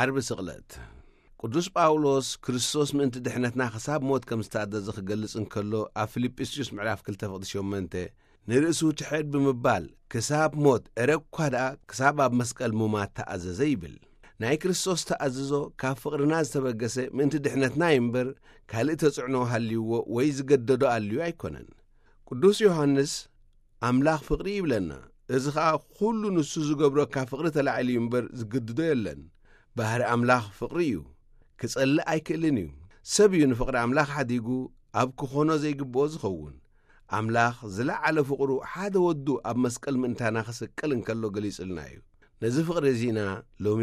ዓርቢ ስቕለት። ቅዱስ ጳውሎስ ክርስቶስ ምእንቲ ድሕነትና ክሳብ ሞት ከም ዝተኣዘዘ ክገልጽ እንከሎ፣ ኣብ ፊልጵስዩስ ምዕራፍ ክልተ ፍቕዲ ሸሞንተ፣ ንርእሱ ትሕት ብምባል ክሳብ ሞት፣ እረ እኳ ደኣ ክሳብ ኣብ መስቀል ምማት ተኣዘዘ ይብል። ናይ ክርስቶስ ተኣዝዞ ካብ ፍቕርና ዝተበገሰ ምእንቲ ድሕነትና እዩ እምበር፣ ካልእ ተጽዕኖ ሃልይዎ ወይ ዝገደዶ ኣልዩ ኣይኮነን። ቅዱስ ዮሃንስ፣ ኣምላኽ ፍቕሪ ይብለና። እዚ ኸኣ ኩሉ ንሱ ዝገብሮ ካብ ፍቕሪ ተላዒሉ እዩ እምበር ዝግድዶ የለን። ባህሪ ኣምላኽ ፍቕሪ እዩ። ክጸልእ ኣይክእልን እዩ። ሰብ እዩ ንፍቕሪ ኣምላኽ ሓዲጉ ኣብ ክኾኖ ዘይግብኦ ዝኸውን። ኣምላኽ ዝለዓለ ፍቕሩ ሓደ ወዱ ኣብ መስቀል ምእንታና ክስቀል እንከሎ ገሊጹልና እዩ። ነዚ ፍቕሪ እዚ ኢና ሎሚ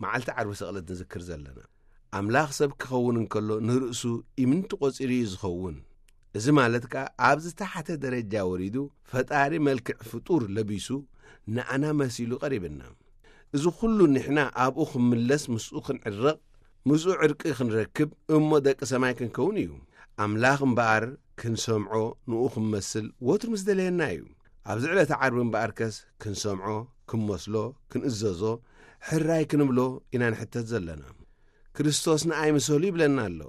መዓልቲ ዓርቢ ስቕለት ንዝክር ዘለና። ኣምላኽ ሰብ ክኸውን እንከሎ ንርእሱ ኢምንቲ ቆጺሩ እዩ ዝኸውን። እዚ ማለት ከኣ ኣብ ዝተሓተ ደረጃ ወሪዱ ፈጣሪ መልክዕ ፍጡር ለቢሱ ንኣና መሲሉ ቀሪብና። እዚ ኩሉ ንሕና ኣብኡ ክምለስ ምስኡ ክንዕረቕ ምስኡ ዕርቂ ክንረክብ እሞ ደቂ ሰማይ ክንከውን እዩ። ኣምላኽ እምበኣር ክንሰምዖ ንኡ ክንመስል ወትሩ ምስ ደለየና እዩ። ኣብዚ ዕለተ ዓርቢ እምበኣርከስ ክንሰምዖ ክንመስሎ ክንእዘዞ ሕራይ ክንብሎ ኢና ንሕተት ዘለና። ክርስቶስ ንኣይ ምሰሉ ይብለና ኣሎ።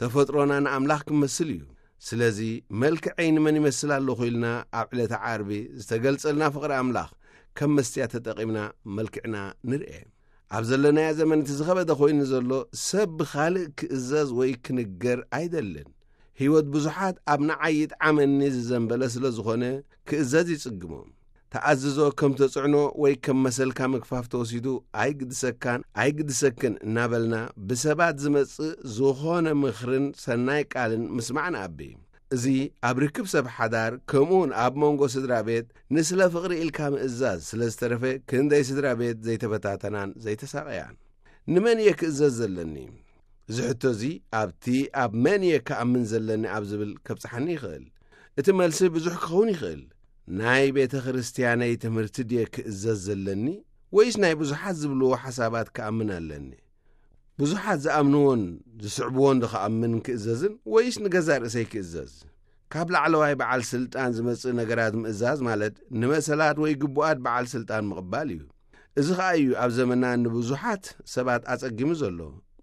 ተፈጥሮና ንኣምላኽ ክመስል እዩ። ስለዚ መልክዐይ ንመን ይመስል ኣለኹ ኢልና ኣብ ዕለተ ዓርቢ ዝተገልጸልና ፍቕሪ ኣምላኽ ከም መስትያ ተጠቒምና መልክዕና ንርኤ። ኣብ ዘለናዮ ዘመን እቲ ዝኸበደ ኮይኑ ዘሎ ሰብ ብኻልእ ክእዘዝ ወይ ክንገር ኣይደልን። ህይወት ብዙሓት ኣብ ንዓይ ይጥዓመኒ ዝዘንበለ ስለ ዝኾነ ክእዘዝ ይጽግሞም። ተኣዝዞ ከም ተጽዕኖ ወይ ከም መሰልካ ምግፋፍ ተወሲዱ ኣይግድሰካን ኣይግድሰክን እናበልና ብሰባት ዝመጽእ ዝኾነ ምኽርን ሰናይ ቃልን ምስማዕ ንኣቢ። እዚ ኣብ ርክብ ሰብ ሓዳር ከምኡውን ኣብ መንጎ ስድራ ቤት ንስለ ፍቕሪ ኢልካ ምእዛዝ ስለ ዝተረፈ ክንደይ ስድራ ቤት ዘይተበታተናን ዘይተሳቐያን። ንመን እየ ክእዘዝ ዘለኒ? እዚ ሕቶ እዚ ኣብቲ ኣብ መን እየ ክኣምን ዘለኒ ኣብ ዝብል ከብጽሓኒ ይኽእል። እቲ መልሲ ብዙሕ ክኸውን ይኽእል። ናይ ቤተ ክርስትያነይ ትምህርቲ ድየ ክእዘዝ ዘለኒ ወይስ ናይ ብዙሓት ዝብልዎ ሓሳባት ክኣምን ኣለኒ? ብዙሓት ዝኣምንዎን ዝስዕብዎን ዶ ክኣምን ክእዘዝን ወይስ ንገዛእ ርእሰይ ክእዘዝ? ካብ ላዕለዋይ በዓል ስልጣን ዝመጽእ ነገራት ምእዛዝ ማለት ንመሰላት ወይ ግቡኣት በዓል ስልጣን ምቕባል እዩ። እዚ ኸኣ እዩ ኣብ ዘመና ንብዙሓት ሰባት ኣጸጊሙ ዘሎ።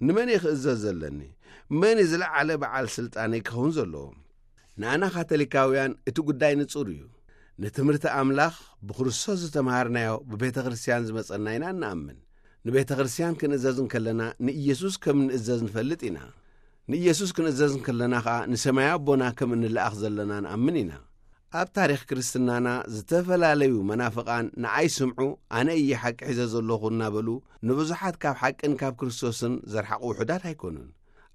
ንመን እየ ክእዘዝ ዘለኒ? መን እዩ ዝለዓለ በዓል ስልጣነይ ክኸውን ዘለዎ? ንኣና ካቶሊካውያን እቲ ጉዳይ ንጹር እዩ። ንትምህርቲ ኣምላኽ ብክርስቶስ ዝተምሃርናዮ ብቤተ ክርስትያን ዝመጸና ኢና እንኣምን። ንቤተ ክርስትያን ክንእዘዝ እንከለና ንኢየሱስ ከም እንእዘዝ ንፈልጥ ኢና። ንኢየሱስ ክንእዘዝ እንከለና ኸኣ ንሰማያዊ ኣቦና ከም እንለኣኽ ዘለና ንኣምን ኢና። ኣብ ታሪኽ ክርስትናና ዝተፈላለዩ መናፍቓን ንኣይ ስምዑ፣ ኣነ እየ ሓቂ ሒዘ ዘለኹ እናበሉ ንብዙሓት ካብ ሓቅን ካብ ክርስቶስን ዘርሓቑ ውሑዳት ኣይኮኑን።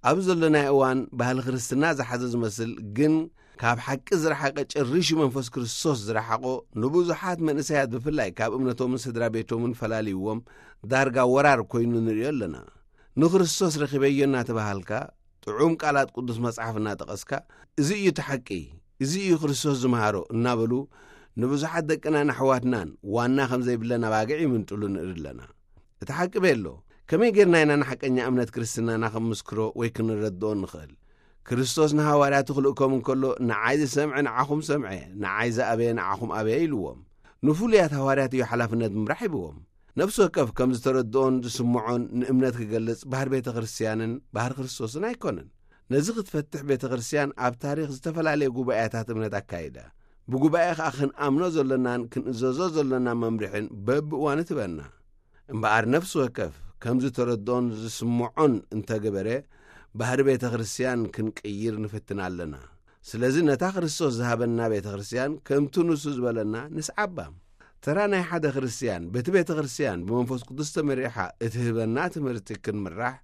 ኣብ ዘለናዮ እዋን ባህሊ ክርስትና ዝሓዘ ዝመስል ግን ካብ ሓቂ ዝረሓቀ ጨሪሹ መንፈስ ክርስቶስ ዝረሓቆ ንብዙሓት መንእሰያት ብፍላይ ካብ እምነቶምን ስድራ ቤቶምን ፈላልይዎም ዳርጋ ወራር ኮይኑ ንሪኦ ኣለና። ንክርስቶስ ረኺበዮ እናተባሃልካ ጥዑም ቃላት ቅዱስ መጽሓፍ እናጠቐስካ እዚ እዩ እቲ ሓቂ፣ እዚ እዩ ክርስቶስ ዝመሃሮ እናበሉ ንብዙሓት ደቅናን ኣሕዋትናን ዋና ከም ዘይብለን ኣባግዕ ይምንጥሉ ንርኢ ኣለና። እቲ ሓቂ ቤሎ ከመይ ጌርና ኢና ንሓቀኛ እምነት ክርስትናና ክንምስክሮ ወይ ክንረድኦ ንኽእል? ክርስቶስ ንሃዋርያቱ ክልእኮም እንከሎ ንዓይ ዝሰምዐ ንዓኹም ሰምዐ፣ ንዓይ ዝኣበየ ንዓኹም ኣበየ ኢልዎም። ንፍሉያት ሃዋርያት እዩ ሓላፍነት ምምራሕ ሂብዎም። ነፍሲ ወከፍ ከም ዝተረድኦን ዝስምዖን ንእምነት ክገልጽ ባህር ቤተ ክርስትያንን ባህር ክርስቶስን ኣይኮነን። ነዚ ክትፈትሕ ቤተ ክርስትያን ኣብ ታሪኽ ዝተፈላለየ ጉባኤታት እምነት ኣካይዳ። ብጉባኤ ኸኣ ክንኣምኖ ዘሎናን ክንእዘዞ ዘሎና መምርሕን በብእዋኑ ትበና። እምበኣር ነፍሲ ወከፍ ከም ዝተረድኦን ዝስምዖን እንተገበረ ባህሪ ቤተ ክርስትያን ክንቅይር ንፍትን ኣለና። ስለዚ ነታ ክርስቶስ ዝሃበና ቤተ ክርስትያን ከምቲ ንሱ ዝበለና ንስዓባ። ተራ ናይ ሓደ ክርስትያን በቲ ቤተ ክርስትያን ብመንፈስ ቅዱስ ተመሪሓ እትህበና ትምህርቲ ክንምራሕ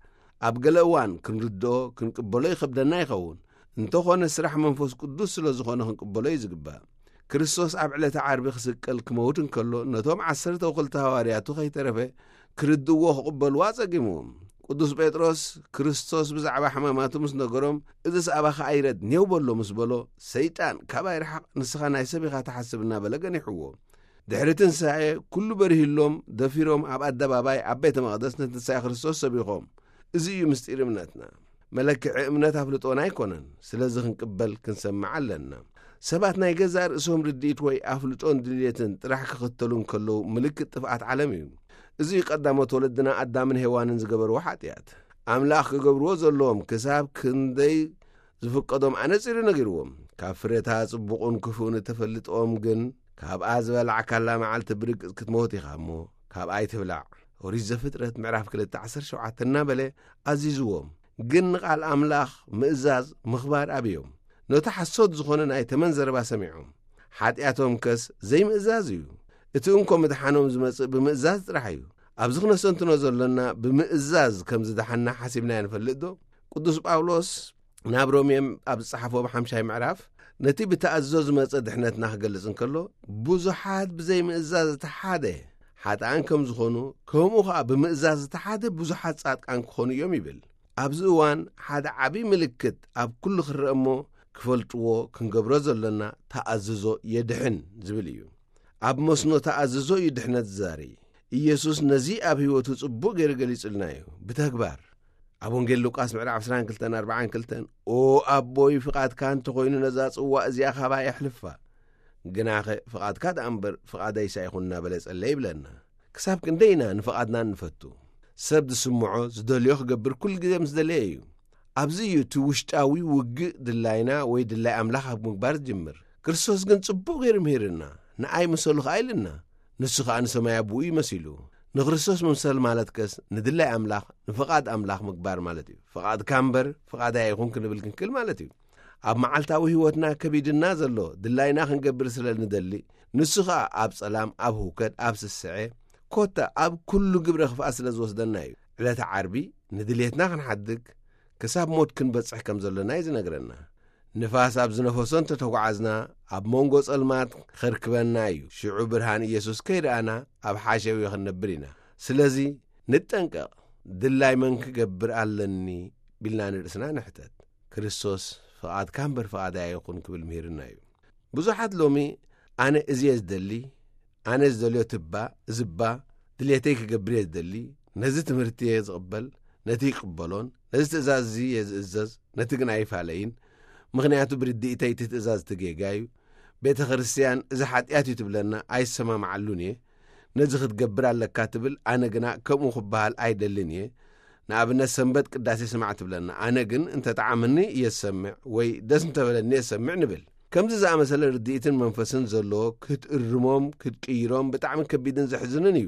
ኣብ ገለ እዋን ክንርድኦ ክንቅበሎ ይኸብደና ይኸውን። እንተኾነ ስራሕ መንፈስ ቅዱስ ስለ ዝኾነ ክንቅበሎ እዩ ዝግባእ። ክርስቶስ ኣብ ዕለተ ዓርቢ ክስቀል ክመውት እንከሎ ነቶም ዓሰርተ ወክልተ ሃዋርያቱ ከይተረፈ ክርድእዎ ክቕበልዎ ኣጸጊምዎም። ቅዱስ ጴጥሮስ ክርስቶስ ብዛዕባ ሕማማቱ ምስ ነገሮም፣ "እዝስ ኣባኻ ኣይረድ ኔው በሎ" ምስ በሎ፣ "ሰይጣን ካባይ ርሓቕ፣ ንስኻ ናይ ሰብ ኢኻ ትሓስብ" እናበለ ገኒሕዎ። ድሕሪ ትንሳኤ ኩሉ በሪህሎም፣ ደፊሮም ኣብ ኣደባባይ ኣብ ቤተ መቕደስ ንትንሳኤ ክርስቶስ ሰቢኾም። እዚ እዩ ምስጢር እምነትና። መለክዒ እምነት ኣፍልጦና ኣይኮነን። ስለዚ ክንቅበል ክንሰምዕ ኣለና። ሰባት ናይ ገዛእ ርእሶም ርድኢት ወይ ኣፍልጦን ድልየትን ጥራሕ ክኽተሉ እንከለዉ ምልክት ጥፍኣት ዓለም እዩ። እዚ እዩ ቀዳሞት ወለድና ኣዳምን ሄዋንን ዝገበርዎ ሓጢኣት። ኣምላኽ ክገብርዎ ዘለዎም ክሳብ ክንደይ ዝፍቀዶም ኣነጺሩ ነጊርዎም። ካብ ፍረታ ጽቡቕን ክፉእን እተፈልጥኦም ግን ካብኣ ዝበላዕካላ መዓልቲ ብርግጽ ክትሞት ኢኻ እሞ ካብኣ ኣይትብላዕ። ኦሪት ዘፍጥረት ምዕራፍ ክልተ ዓሰርተ ሸውዓተ እናበለ ኣዚዝዎም። ግን ንቓል ኣምላኽ ምእዛዝ ምኽባር ኣብዮም። ነቲ ሓሶት ዝኾነ ናይ ተመን ዘረባ ሰሚዖም። ሓጢኣቶም ከስ ዘይምእዛዝ እዩ። እቲ እንኮ ምድሓኖም ዝመጽእ ብምእዛዝ ጥራሕ እዩ። ኣብዚ ክነሰንትኖ ዘሎና ብምእዛዝ ከም ዝደሓና ሓሲብና ንፈልጥ ዶ? ቅዱስ ጳውሎስ ናብ ሮሜም ኣብ ዝጸሓፎ ብሓምሻይ ምዕራፍ ነቲ ብተኣዝዞ ዝመጸ ድሕነትና ክገልጽ እንከሎ፣ "ብዙሓት ብዘይምእዛዝ እቲ ሓደ ሓጥኣን ከም ዝኾኑ፣ ከምኡ ኸኣ ብምእዛዝ እቲ ሓደ ብዙሓት ጻድቃን ክኾኑ እዮም" ይብል። ኣብዚ እዋን ሓደ ዓቢ ምልክት ኣብ ኩሉ ክረአ እሞ ክፈልጥዎ ክንገብሮ ዘሎና ተኣዝዞ የድሕን ዝብል እዩ። ኣብ መስኖ ተኣዝዞ እዩ ድሕነት ዝዛሪ። ኢየሱስ ነዚ ኣብ ህይወቱ ጽቡቕ ገይሩ ገሊጹልና እዩ። ብተግባር ኣብ ወንጌል ሉቃስ ምዕራፍ ዕስራን ክልተን ኣርባዓን ክልተን፣ "ኦ ኣቦይ፣ ፍቓድካ እንተኾይኑ ነዛ ጽዋእ እዚኣ ካባይ ኣሕልፋ፣ ግናኸ ፍቓድካ ደኣ እምበር ፍቓደይስ ኣይኹን" እናበለ ጸለየ ይብለና። ክሳብ ክንደይ ኢና ንፍቓድና እንፈቱ? ሰብ ዝስምዖ ዝደልዮ ክገብር ኩሉ ግዜ ምስ ደለየ እዩ። ኣብዚ እዩ እቲ ውሽጣዊ ውግእ ድላይና ወይ ድላይ ኣምላኽ ኣብ ምግባር ዝጅምር። ክርስቶስ ግን ጽቡቕ ገይሩ ምሂርና፣ ንኣይ ምሰሉ ኸኣ ኢልና። ንሱ ኸኣ ንሰማይ ኣቦኡ እዩ መሲሉ። ንክርስቶስ ምምሰል ማለት ከስ ንድላይ ኣምላኽ፣ ንፍቓድ ኣምላኽ ምግባር ማለት እዩ። ፍቓድካ እምበር ፍቓደይ ኣይኹን ክንብል ክንክእል ማለት እዩ። ኣብ መዓልታዊ ህይወትና ከቢድና ዘሎ ድላይና ክንገብር ስለ ንደሊ፣ ንሱ ኸኣ ኣብ ጸላም፣ ኣብ ህውከት፣ ኣብ ስስዐ፣ ኮታ ኣብ ኩሉ ግብረ ክፍኣት ስለ ዝወስደና እዩ። ዕለተ ዓርቢ ንድልየትና ክንሓድግ፣ ክሳብ ሞት ክንበጽሕ ከም ዘሎና እዩ ዝነግረና። ንፋስ ኣብ ዝነፈሶ እንተተጓዓዝና፣ ኣብ መንጎ ጸልማት ከርክበና እዩ። ሽዑ ብርሃን ኢየሱስ ከይረኣና ኣብ ሓሸውየ ክንነብር ኢና። ስለዚ ንጠንቀቕ። ድላይ መን ክገብር ኣለኒ ቢልና ንርእስና ንሕተት። ክርስቶስ፣ "ፍቓድካ እምበር ፍቓደይ ኣይኹን" ክብል ምሂርና እዩ። ብዙሓት ሎሚ፣ "ኣነ እዚ እየ ዝደሊ፣ ኣነ ዝደልዮ ትባ፣ ዝባ፣ ድሌተይ ክገብር እየ ዝደሊ፣ ነዚ ትምህርቲ እየ ዝቕበል፣ ነቲ ይቅበሎን፣ ነዚ ትእዛዝ እዚ እየ ዝእዘዝ፣ ነቲ ግን ኣይፋለይን፣ ምኽንያቱ ብርድኢተይ እቲ ትእዛዝ እቲ ጌጋ እዩ። ቤተ ክርስትያን እዚ ሓጢኣት እዩ ትብለና፣ ኣይሰማማዓሉን እየ። ነዚ ክትገብር ኣለካ ትብል፣ ኣነ ግና ከምኡ ክበሃል ኣይደልን እየ። ንኣብነት ሰንበት ቅዳሴ ስማዕ ትብለና፣ ኣነ ግን እንተ ጠዓመኒ እየ ዝሰምዕ ወይ ደስ እንተበለኒ እየ ዝሰምዕ" ንብል። ከምዚ ዝኣመሰለ ርድኢትን መንፈስን ዘለዎ ክትእርሞም ክትቅይሮም ብጣዕሚ ከቢድን ዘሕዝንን እዩ።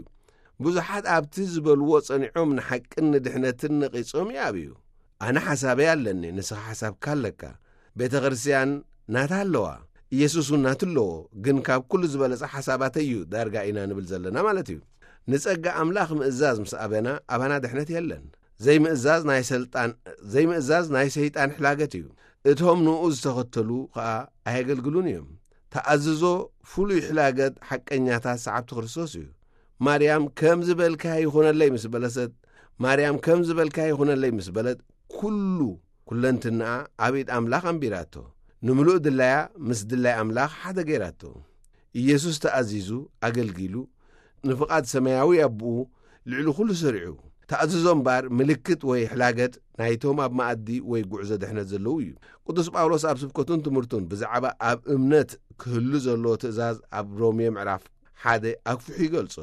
ብዙሓት ኣብቲ ዝበልዎ ጸኒዖም ንሓቅን ንድሕነትን ነቒጾም ይኣብዩ። ኣነ ሓሳበይ ኣለኒ፣ ንስኻ ሓሳብካ ኣለካ። ቤተ ክርስትያን ናታ ኣለዋ፣ ኢየሱስ እውን ናቱ ኣለዎ። ግን ካብ ኩሉ ዝበለጸ ሓሳባተይ እዩ ዳርጋ ኢና ንብል ዘለና ማለት እዩ። ንጸጋ ኣምላኽ ምእዛዝ ምስ ኣበና ኣባና ድሕነት የለን። ዘይምእዛዝ ናይ ሰልጣን ዘይምእዛዝ ናይ ሰይጣን ሕላገት እዩ። እቶም ንኡ ዝተኸተሉ ኸኣ ኣየገልግሉን እዮም። ተኣዝዞ ፍሉይ ሕላገት ሓቀኛታት ሰዓብቲ ክርስቶስ እዩ። ማርያም ከም ዝበልካ ይኹነለይ ምስ በለሰት ማርያም ከም ዝበልካ ይኹነለይ ምስ በለት፣ ኩሉ ኩለንትንኣ ኣብ ኢድ ኣምላኽ ኣንቢራቶ። ንምሉእ ድላያ ምስ ድላይ ኣምላኽ ሓደ ገይራቶ። ኢየሱስ ተኣዚዙ ኣገልጊሉ፣ ንፍቓድ ሰማያዊ ኣቦኡ ልዕሊ ኩሉ ሰሪዑ። ተኣዝዞ እምበኣር ምልክት ወይ ሕላገት ናይቶም ኣብ መኣዲ ወይ ጉዕዞ ድሕነት ዘለዉ እዩ። ቅዱስ ጳውሎስ ኣብ ስብከቱን ትምህርቱን ብዛዕባ ኣብ እምነት ክህሉ ዘለዎ ትእዛዝ ኣብ ሮሜ ምዕራፍ ሓደ ኣግፊሑ ይገልጾ።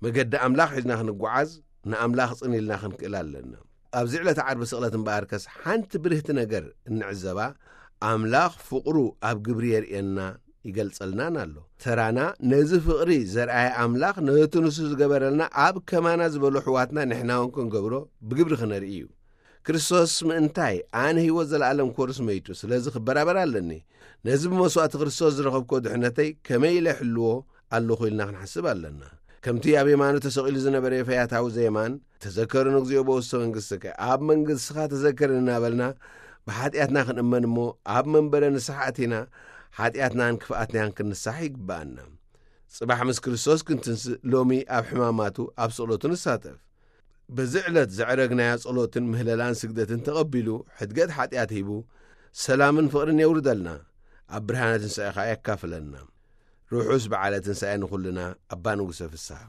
መገዲ ኣምላኽ ሒዝና ክንጓዓዝ ንኣምላኽ ጽን ኢልና ክንክእል ኣለና። ኣብዚ ዕለተ ዓርቢ ስቕለት እምበኣርከስ ሓንቲ ብርህቲ ነገር እንዕዘባ፣ ኣምላኽ ፍቕሩ ኣብ ግብሪ የርእየና ይገልጸልናን ኣሎ። ተራና ነዚ ፍቕሪ ዘርኣየ ኣምላኽ ነቲ ንሱ ዝገበረልና ኣብ ከማና ዝበሉ ኣሕዋትና ንሕና እውን ክንገብሮ ብግብሪ ክነርኢ እዩ። ክርስቶስ ምእንታይ ኣነ ህይወት ዘለኣለም ክወርስ መይቱ፣ ስለዚ ክበራበር ኣለኒ። ነዚ ብመስዋእቲ ክርስቶስ ዝረኸብኮ ድሕነተይ ከመይ ኢለ ይሕልዎ ኣለኹ ኢልና ክንሓስብ ኣለና። ከምቲ ኣብ የማኑ ተሰቒሉ ዝነበረ ፈያታዊ ዘየማን፣ "ተዘከሩኒ እግዚኦ በውስተ መንግሥትከ፣ ኣብ መንግሥትኻ ተዘከር" እናበልና ብሓጢኣትና ክንእመን እሞ ኣብ መንበረ ንስሓ ኣቲና ሓጢኣትናን ክፍኣትናን ክንንሳሕ ይግብኣና። ጽባሕ ምስ ክርስቶስ ክንትንስእ ሎሚ ኣብ ሕማማቱ ኣብ ስቕለቱ ንሳተፍ። በዚ ዕለት ዘዕረግናያ ጸሎትን ምህለላን ስግደትን ተቐቢሉ፣ ሕድገት ሓጢኣት ሂቡ፣ ሰላምን ፍቕርን የውርደልና። ኣብ ብርሃነ ትንሳኤ ኸኣ የካፍለና። ርሑስ በዓለ ትንሳኤ ንኹልና። ኣባ ንጉሰ ፍስሓ።